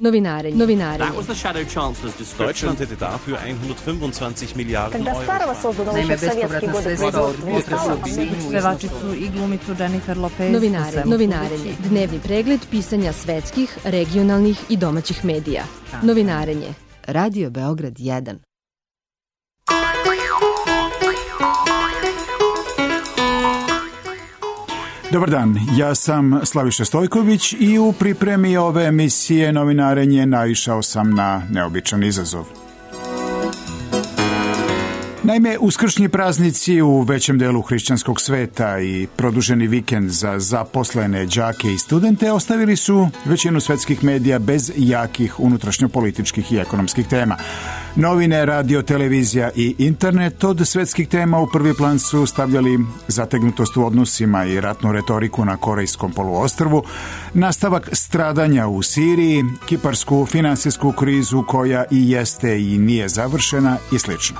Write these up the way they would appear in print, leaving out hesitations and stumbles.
Novinarenje. Deutschland hätte dafür 125 Milijarden Euro. Naime, bespovratna sredstva od potresa u Sinju. Pevačicu i glumicu Jennifer Lopez. Novinarenje. Dnevni pregled pisanja svetskih, regionalnih i domaćih medija. Novinarenje. Radio Beograd 1. Dobar dan, ja sam Slaviša Stojković i u pripremi ove emisije Novinarenje naišao sam na neobičan izazov. Naime, uskršnji praznici u većem delu hrišćanskog sveta i produženi vikend za zaposlene đake i studente ostavili su većinu svetskih medija bez jakih unutrašnjopolitičkih i ekonomskih tema. Novine, radio, televizija i internet od svetskih tema u prvi plan su stavljali zategnutost u odnosima i ratnu retoriku na Korejskom poluostrvu, nastavak stradanja u Siriji, kiparsku finansijsku krizu koja i jeste i nije završena i slično.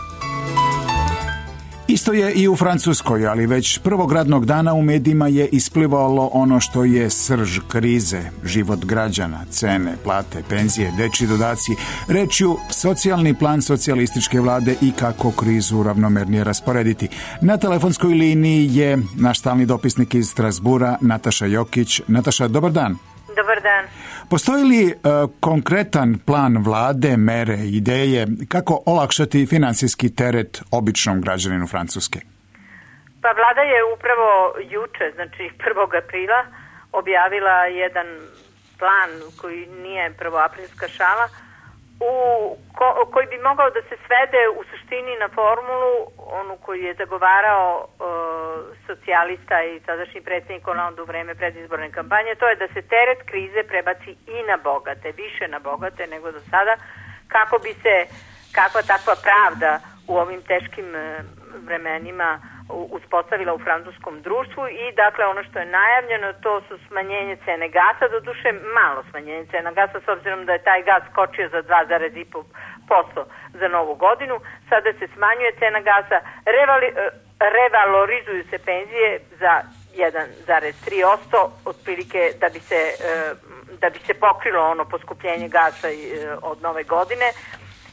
Isto je i u Francuskoj, ali već prvog radnog dana u medijima je isplivalo ono što je srž krize, život građana, cene, plate, penzije, dečji dodaci, rečju socijalni plan socijalističke vlade i kako krizu ravnomernije rasporediti. Na telefonskoj liniji je naš stalni dopisnik iz Strasbura, Nataša Jokić. Nataša, dobar dan. Dobar dan. Postoji li konkretan plan vlade, mere, ideje kako olakšati finansijski teret običnom građaninu Francuske? Pa vlada je upravo juče, znači 1. aprila, objavila jedan plan koji nije prvoaprilska šala, koji bi mogao da se svede u suštini na formulu, onu koju je zagovarao socijalista i sadašnji predsjednik Hollande u vreme predizborne kampanje, to je da se teret krize prebaci i na bogate, više na bogate nego do sada, kako bi se kakva takva pravda u ovim teškim vremenima uspostavila u francuskom društvu i dakle ono što je najavljeno to su smanjenje cene gasa, doduše malo smanjenje cena gasa s obzirom da je taj gas skočio za 2,5% za novu godinu, sada se smanjuje cena gasa, revalorizuju se penzije za 1,3% otprilike da bi se pokrilo ono poskupljenje gasa od nove godine.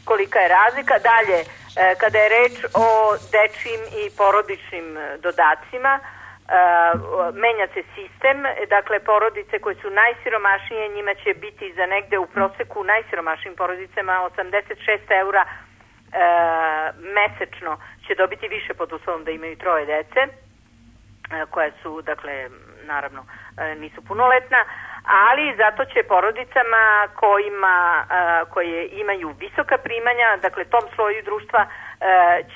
Kolika je razlika. Dalje, kada je reč o dečjim i porodičnim dodacima, menja se sistem, dakle porodice koje su najsiromašnije, njima će biti za negde u proseku najsiromašnijim porodicama 86 eura mesečno će dobiti više pod uslovom da imaju 3 dece, koje su, dakle, naravno nisu punoletna, ali zato će porodicama koje imaju visoka primanja, dakle tom sloju društva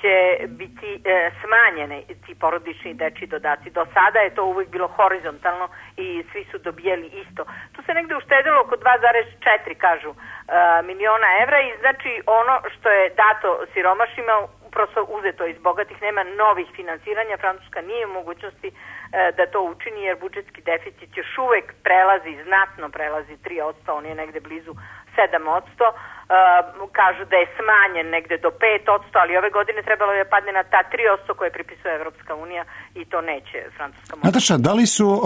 će biti smanjene ti porodični dečji dodaci. Do sada je to uvijek bilo horizontalno i svi su dobijali isto. Tu se negde uštedilo oko 2,4 kažu miliona evra i znači ono što je dato siromašnima prosto uzeto iz bogatih, nema novih finansiranja. Francuska nije u mogućnosti da to učini jer budžetski deficit još uvek znatno prelazi 3%, on je negde blizu 7%. Kažu da je smanjen negde do 5%, ali ove godine trebalo je padne na ta 3% koje pripisuje Evropska unija i to neće Francuska moći. Nataša, da li su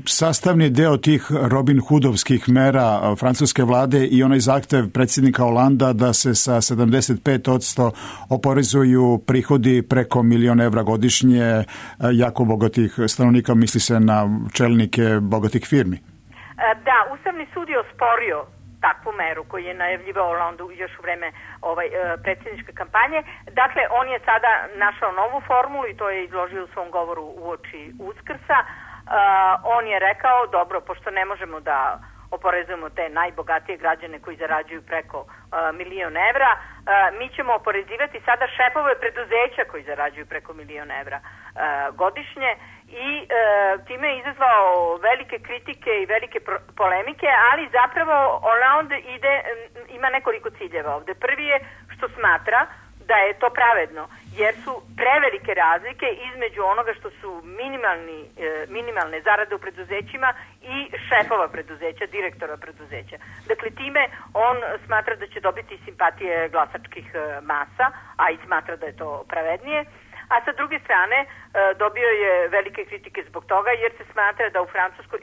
sastavni deo tih Robin Hoodovskih mera francuske vlade i onaj zahtev predsjednika Holanda da se sa 75% oporezuju prihodi preko milion evra godišnje jako bogatih stanovnika, misli se na čelnike bogatih firmi? Da, Ustavni sud je osporio takvu meru koju je najavljivao Hollande još u vreme predsjedničke kampanje. Dakle, on je sada našao novu formulu i to je izložio u svom govoru uoči Uskrsa. On je rekao, dobro, pošto ne možemo da oporezujemo te najbogatije građane koji zarađuju preko milion evra, mi ćemo oporezivati sada šefove preduzeća koji zarađuju preko milion evra godišnje i time je izazvao velike kritike i velike polemike, ali zapravo Hollande ima nekoliko ciljeva ovde. Prvi je što smatra da je to pravedno, jer su prevelike razlike između onoga što su minimalne zarade u preduzećima i šefova preduzeća, direktora preduzeća. Dakle, time on smatra da će dobiti simpatije glasačkih masa, a i smatra da je to pravednije. A sa druge strane dobio je velike kritike zbog toga jer se smatra da u Francuskoj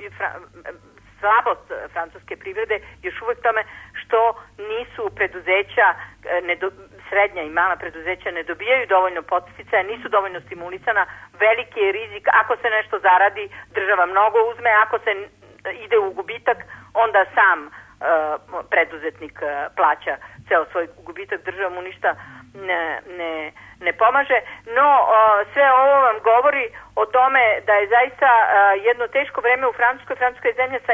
slabost francuske privrede još uvek tome što nisu preduzeća, srednja i mala preduzeća ne dobijaju dovoljno podsticaja, nisu dovoljno stimulisana, veliki je rizik, ako se nešto zaradi, država mnogo uzme, ako se ide u gubitak, onda sam preduzetnik plaća ceo svoj gubitak, država mu ništa ne pomaže, no sve ovo vam govori o tome da je zaista jedno teško vreme u Francuskoj. Francuska je zemlja sa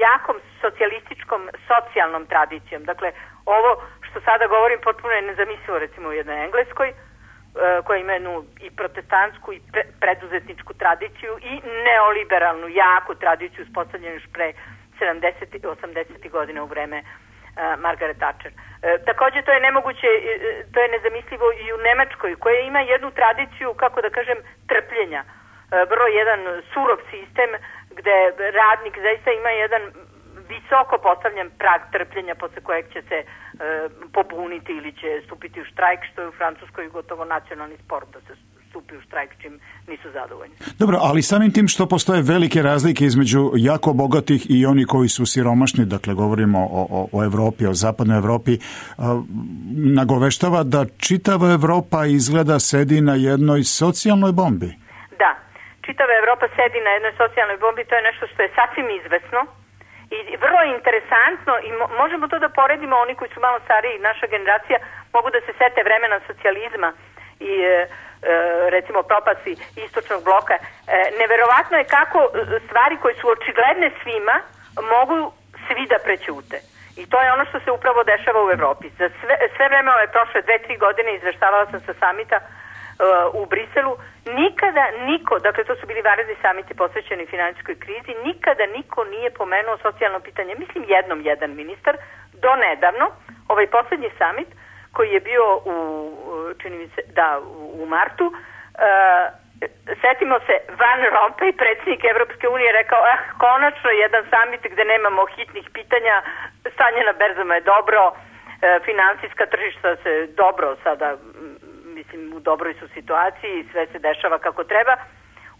jakom socijalističkom socijalnom tradicijom. Dakle, ovo što sada govorim potpuno je nezamislivo recimo u jednoj Engleskoj, koja ima jednu i protestantsku i preduzetničku tradiciju i neoliberalnu, jaku tradiciju uspostavljenu još pre 70. i 80. godina u vreme Margaret Thatcher. Takođe to je nemoguće, to je nezamislivo i u Nemačkoj, koja ima jednu tradiciju, kako da kažem, trpljenja. Vrlo jedan surov sistem gde radnik zaista ima jedan visoko postavljen prag trpljenja posle kojeg će se pobuniti ili će stupiti u štrajk, što je u Francuskoj gotovo nacionalni sport da se stupi u štrajk čim nisu zadovoljni. Dobro, ali samim tim što postoje velike razlike između jako bogatih i oni koji su siromašni, dakle govorimo o Evropi, o zapadnoj Evropi, nagoveštava da čitava Evropa izgleda sedi na jednoj socijalnoj bombi. Da, čitava Evropa sedi na jednoj socijalnoj bombi, to je nešto što je sasvim izvesno i vrlo interesantno i možemo to da poredimo, oni koji su malo stariji, naša generacija, mogu da se sete vremena socijalizma i recimo propasti istočnog bloka. Neverovatno je kako stvari koje su očigledne svima mogu svi da prećute. I to je ono što se upravo dešava u Evropi. Za sve vreme ove prošle 2-3 godine izveštavala sam sa samita u Briselu, nikada niko, dakle to su bili vanredni samiti posvećeni finansijskoj krizi, nikada niko nije pomenuo socijalno pitanje. Mislim jedan ministar, do nedavno, ovaj poslednji samit koji je bio čini mi se, u martu, setimo se, Van Rompuy, predsjednik Evropske unije, rekao, konačno jedan samit gde nemamo hitnih pitanja, stanje na berzama je dobro, finansijska tržišta se dobro sada, mislim, u dobroj su situaciji, sve se dešava kako treba.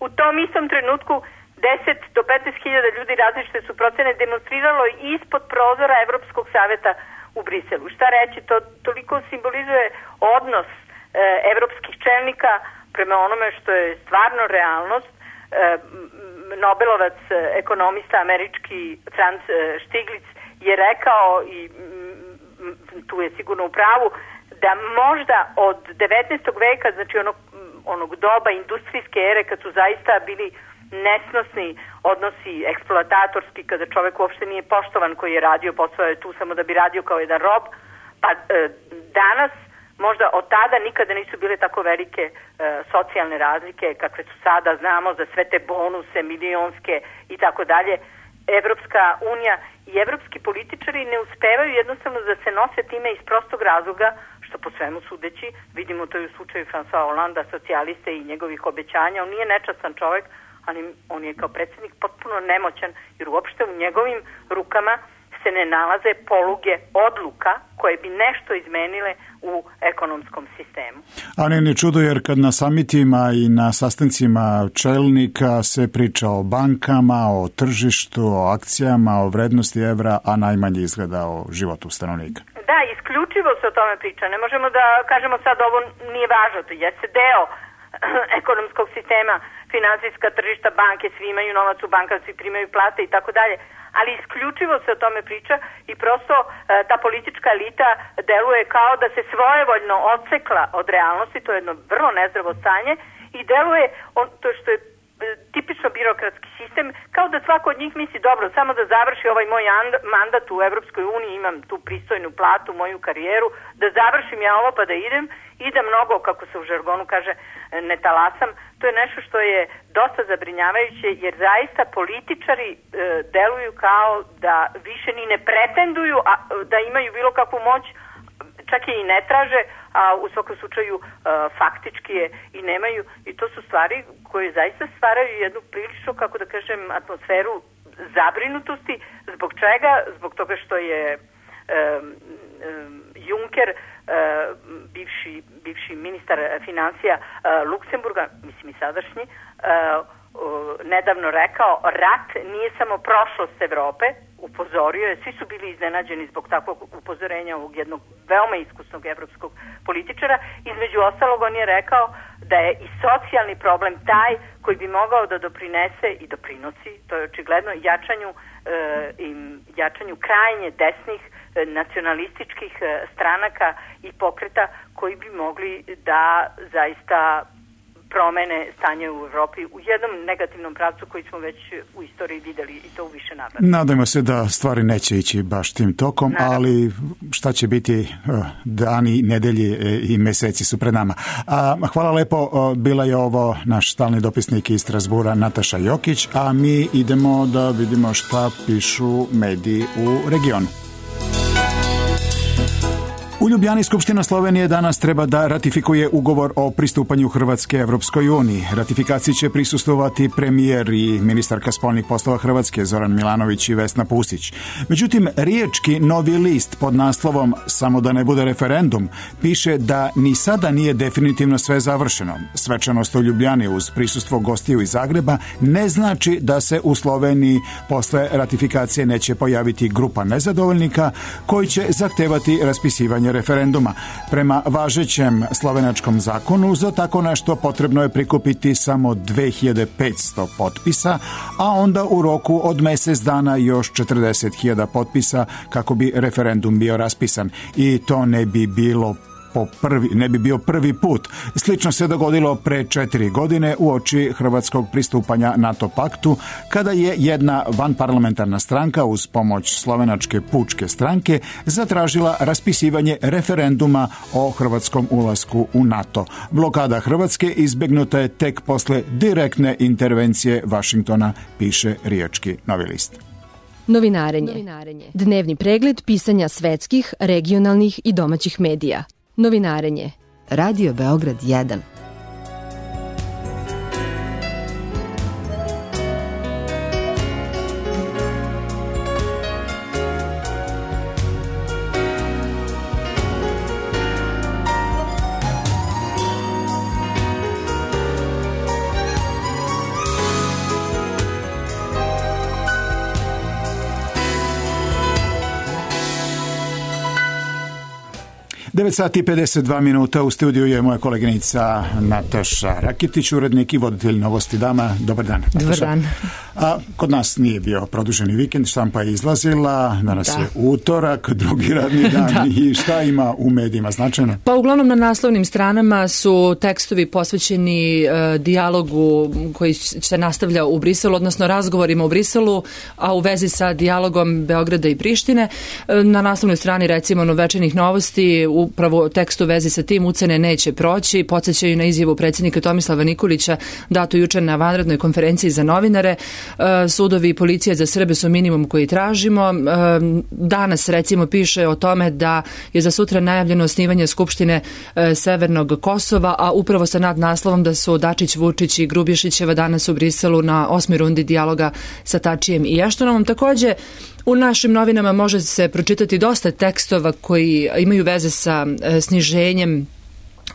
U tom istom trenutku 10 do 15.000 ljudi različite su procene demonstriralo ispod prozora Evropskog saveta u Briselu. Šta reći, to toliko simbolizuje odnos evropskih čelnika prema onome što je stvarno realnost. Nobelovac, ekonomista američki Franz Stiglitz je rekao, i tu je sigurno u pravu, da možda od 19. veka, znači onog doba industrijske ere, kad su zaista bili nesnosni odnosi, eksploatatorski, kada čovek uopšte nije poštovan koji je radio, posao je tu samo da bi radio kao jedan rob, pa danas možda od tada nikada nisu bile tako velike socijalne razlike kakve su sada, znamo za sve te bonuse milionske i tako dalje. Evropska unija i evropski političari ne uspevaju jednostavno da se nose time iz prostog razloga što po svemu sudeći, vidimo to i u slučaju François Hollanda, socijaliste i njegovih obećanja, on nije nečastan čovek, ali on je kao predsjednik potpuno nemoćan, jer uopšte u njegovim rukama se ne nalaze poluge odluka koje bi nešto izmenile u ekonomskom sistemu. A ne čudo, jer kad na samitima i na sastancima čelnika se priča o bankama, o tržištu, o akcijama, o vrednosti evra, a najmanje izgleda o životu stanovnika. Da, isključivo se o tome priča. Ne možemo da kažemo sad ovo nije važno, to jeste deo ekonomskog sistema, finansijska tržišta, banke, svi imaju novac u bankama, svi primaju plate i tako dalje, ali isključivo se o tome priča i prosto ta politička elita deluje kao da se svojevoljno odsekla od realnosti, to je jedno vrlo nezdravo stanje i deluje to što je tipično birokratski sistem, kao da svako od njih misli, dobro, samo da završi ovaj moj mandat u Evropskoj uniji, imam tu pristojnu platu, moju karijeru, da završim ja ovo pa da idem i da mnogo, kako se u žargonu kaže, ne talasam. To je nešto što je dosta zabrinjavajuće, jer zaista političari deluju kao da više ni ne pretenduju da imaju bilo kakvu moć, čak i ne traže, a u svakom slučaju faktički je i nemaju, i to su stvari koje zaista stvaraju jednu prilično, kako da kažem, atmosferu zabrinutosti. Zbog čega? Zbog toga što je Juncker, bivši ministar financija Luksemburga, mislim i sadašnji, nedavno rekao, rat nije nije samo prošlost Evrope, upozorio je, svi su bili iznenađeni zbog takvog upozorenja ovog jednog veoma iskusnog evropskog političara. Između ostalog on je rekao da je i socijalni problem taj koji bi mogao da doprinese i doprinosi, to je očigledno, jačanju krajnje desnih nacionalističkih stranaka i pokreta koji bi mogli da zaista promene stanje u Evropi u jednom negativnom pravcu koji smo već u istoriji videli i to u više navrata. Nadajmo se da stvari neće ići baš tim tokom, ali šta će biti dani, nedelji i meseci su pred nama. Hvala lepo, bila je ovo naš stalni dopisnik iz Strasbura Nataša Jokić, a mi idemo da vidimo šta pišu mediji u regionu. U Ljubljani Skupština Slovenije danas treba da ratifikuje ugovor o pristupanju Hrvatske Evropskoj uniji. Ratifikaciji će prisustvovati premijer i ministarka spoljnih poslova Hrvatske Zoran Milanović i Vesna Pusić. Međutim, riječki Novi list pod naslovom Samo da ne bude referendum piše da ni sada nije definitivno sve završeno. Svečanost u Ljubljani uz prisustvo gostiju iz Zagreba ne znači da se u Sloveniji posle ratifikacije neće pojaviti grupa nezadovoljnika koji će zahtevati raspisivanje referenduma. Prema važećem slovenačkom zakonu za tako nešto potrebno je prikupiti samo 2500 potpisa, a onda u roku od mjesec dana još 40.000 potpisa kako bi referendum bio raspisan. I to ne bi bio prvi put. Slično se dogodilo pre 4 godine uoči hrvatskog pristupanja NATO paktu, kada je jedna vanparlamentarna stranka uz pomoć slovenačke pučke stranke zatražila raspisivanje referenduma o hrvatskom ulasku u NATO. Blokada Hrvatske izbegnuta je tek posle direktne intervencije Vašingtona, piše riječki Novi list. Novinarenje. Dnevni pregled pisanja svetskih, regionalnih i domaćih medija. Novinarenje. Radio Beograd 1. Devet sati i 52 minuta, u studiju je moja koleginica Nataša Rakitić, urednik i voditelj Novosti dama. Dobar dan, Nataša. Dobar dan. Kod nas nije bio produženi vikend, štampa je izlazila, danas je utorak, drugi radni dan i šta ima u medijima značajno? Pa uglavnom na naslovnim stranama su tekstovi posvećeni dijalogu koji se nastavlja u Briselu, odnosno razgovorima u Briselu, a u vezi sa dijalogom Beograda i Prištine. Na naslovnoj strani recimo Večernjih novosti upravo tekst u vezi sa tim ucene neće proći, podsjećaju na izjavu predsjednika Tomislava Nikolića datu jučer na vanrednoj konferenciji za novinare. Sudovi i policija za Srbe su minimum koji tražimo. Danas recimo piše o tome da je za sutra najavljeno osnivanje Skupštine Severnog Kosova, a upravo sa nadnaslovom da su Dačić, Vučić i Grubješićeva danas u Briselu na 8. rundi dijaloga sa Tačijem i Eštonovom. Također u našim novinama može se pročitati dosta tekstova koji imaju veze sa sniženjem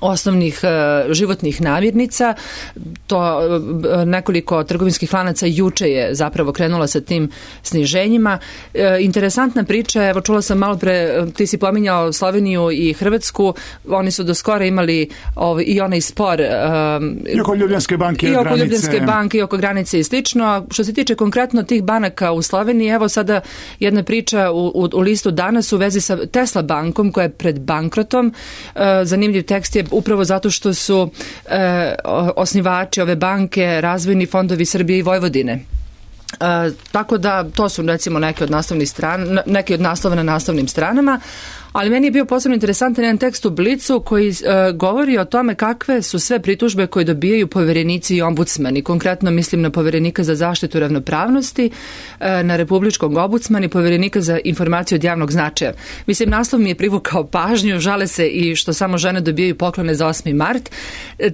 osnovnih životnih namirnica. To nekoliko trgovinskih lanaca juče je zapravo krenula sa tim sniženjima. Interesantna priča, evo čula sam malo pre, ti si pominjao Sloveniju i Hrvatsku, oni su do skora imali i onaj spor i oko Ljubljanske banke i oko granice i slično. A što se tiče konkretno tih banaka u Sloveniji, evo sada jedna priča u listu danas u vezi sa Tesla bankom koja je pred bankrotom. Zanimljiv tekst je upravo zato što su osnivači ove banke razvojni fondovi Srbije i Vojvodine. Tako da to su recimo neki od naslova na naslovnim stranama. Ali meni je bio posebno interesantan jedan tekst u Blicu koji govori o tome kakve su sve pritužbe koje dobijaju poverenici i ombudsmani. Konkretno mislim na poverenika za zaštitu ravnopravnosti, na republičkog ombudsmana i poverenika za informaciju od javnog značaja. Mislim, naslov mi je privukao pažnju, žale se i što samo žene dobijaju poklone za 8. mart.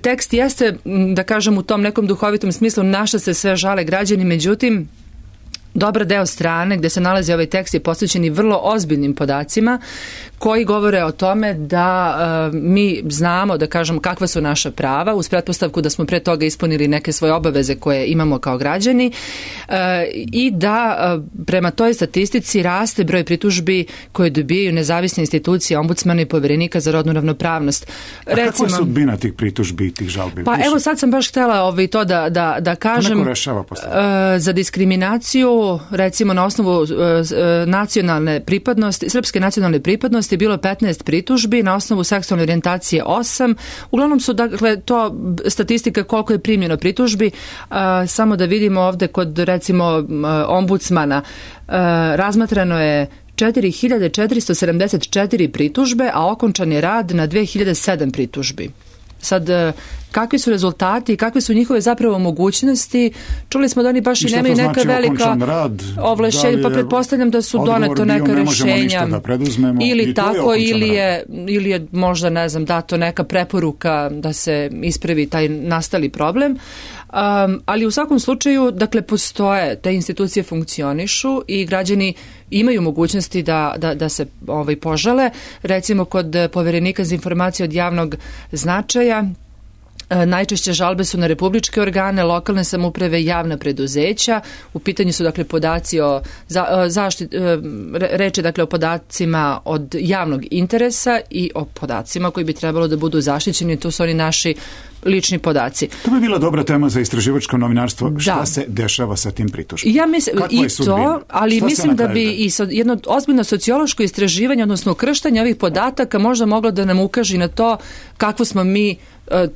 Tekst jeste, da kažem, u tom nekom duhovitom smislu na šta se sve žale građani, međutim, dobar deo strane gdje se nalazi ovaj tekst je posvećen i vrlo ozbiljnim podacima koji govore o tome da mi znamo, da kažemo, kakva su naša prava, uz pretpostavku da smo pre toga ispunili neke svoje obaveze koje imamo kao građani i da prema toj statistici raste broj pritužbi koje dobijaju nezavisne institucije, ombudsmana i poverenika za rodnu ravnopravnost. Recimo, kakva je sudbina tih pritužbi i tih žalbi? Pa evo sad sam baš htjela to da kažem. To neko rešava posle? Za diskriminaciju, recimo na osnovu nacionalne pripadnosti, srpske nacionalne pripadnosti je bilo 15 pritužbi, na osnovu seksualne orijentacije 8. Uglavnom su, dakle, to statistika koliko je primljeno pritužbi. Samo da vidimo ovde kod, recimo, ombudsmana, razmatrano je 4474 pritužbe, a okončan je rad na 2007 pritužbi. Sad, kakvi su rezultati i kakve su njihove zapravo mogućnosti? Čuli smo da oni baš i nemaju neka velika ovlašćenja, pa pretpostavljam da su doneto neka rešenja ili tako, ili je možda, ne znam, dato neka preporuka da se ispravi taj nastali problem. Ali u svakom slučaju, dakle, postoje, te institucije funkcionišu i građani imaju mogućnosti da se požale. Recimo, kod poverenika za informacije od javnog značaja, najčešće žalbe su na republičke organe, lokalne samouprave, javna preduzeća. U pitanju su, dakle, podaci o reč je, dakle, o podacima od javnog interesa i o podacima koji bi trebalo da budu zaštićeni. To su oni naši lični podaci. To bi bila dobra tema za istraživačko novinarstvo. Da. Šta se dešava sa tim pritužbama? Ja mislim i to, ali mislim da bi i jedno ozbiljno sociološko istraživanje, odnosno ukrštanje ovih podataka možda moglo da nam ukaže na to kakvo smo mi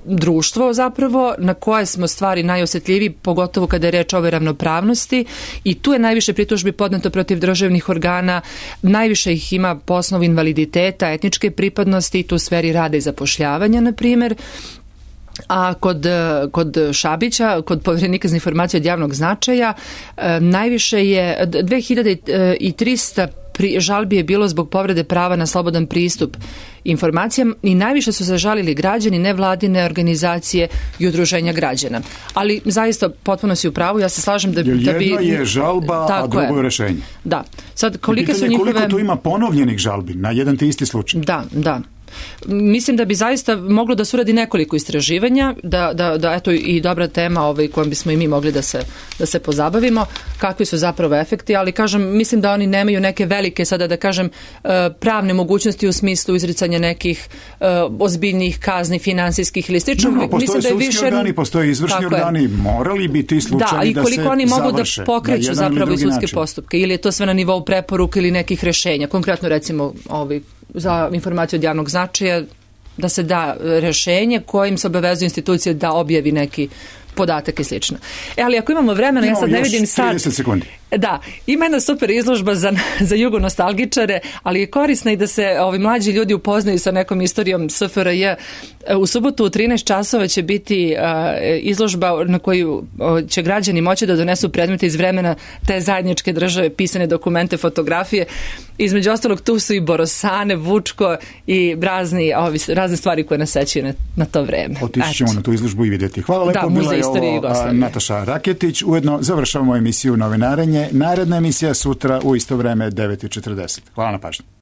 društvo zapravo, na koje smo stvari najosjetljiviji, pogotovo kada je reč o ovoj ravnopravnosti, i tu je najviše pritužbi podneto protiv državnih organa, najviše ih ima po osnovu invaliditeta, etničke pripadnosti, i tu u sferi rada i zapošljavanja, na primjer. A kod Šabića, kod poverenika za informacije od javnog značaja, najviše je 2300 žalbi je bilo zbog povrede prava na slobodan pristup informacijama i najviše su se žalili građani, nevladine organizacije i udruženja građana. Ali zaista potpuno si u pravu, ja se slažem da bi... Jedno je žalba, a drugo je rešenje. Da. Sad, koliko tu ima ponovljenih žalbi na jedan te isti slučaj? Da. Mislim da bi zaista moglo da se uradi nekoliko istraživanja, da eto i dobra tema kojom bismo i mi mogli da se pozabavimo, kakvi su zapravo efekti, ali kažem, mislim da oni nemaju neke velike, sada da kažem, pravne mogućnosti u smislu izricanja nekih ozbiljnih kazni, finansijskih ili slično. No, postoje sudski organi, postoje izvršni organi, morali bi ti slučaji da se završe. Da, i koliko oni mogu da pokreću zapravo i sudske postupke, ili je to sve na nivou preporuka ili nekih rešenja, konkretno recimo za informaciju od javnog značaja, da se da rešenje kojim se obavezuje institucija da objavi neki podatak i slično. Ali ako imamo vremena, ja sad ne vidim sad... 30 sekundi. Da, ima jedna super izložba za jugonostalgičare, ali je korisna i da se ovi mlađi ljudi upoznaju sa nekom istorijom SFRJ. U subotu u 13 časova će biti izložba na koju će građani moći da donesu predmete iz vremena te zajedničke države, pisane dokumente, fotografije. Između ostalog tu su i Borosane, Vučko i razne stvari koje nas sećaju na to vreme. Otići ćemo na tu izložbu i vidjeti. Hvala lepo, bila je ovo Nataša Raketić. Ujedno završavamo emisiju Novinarenje. Naredna emisija sutra u isto vreme 9:40. Hvala na pažnji.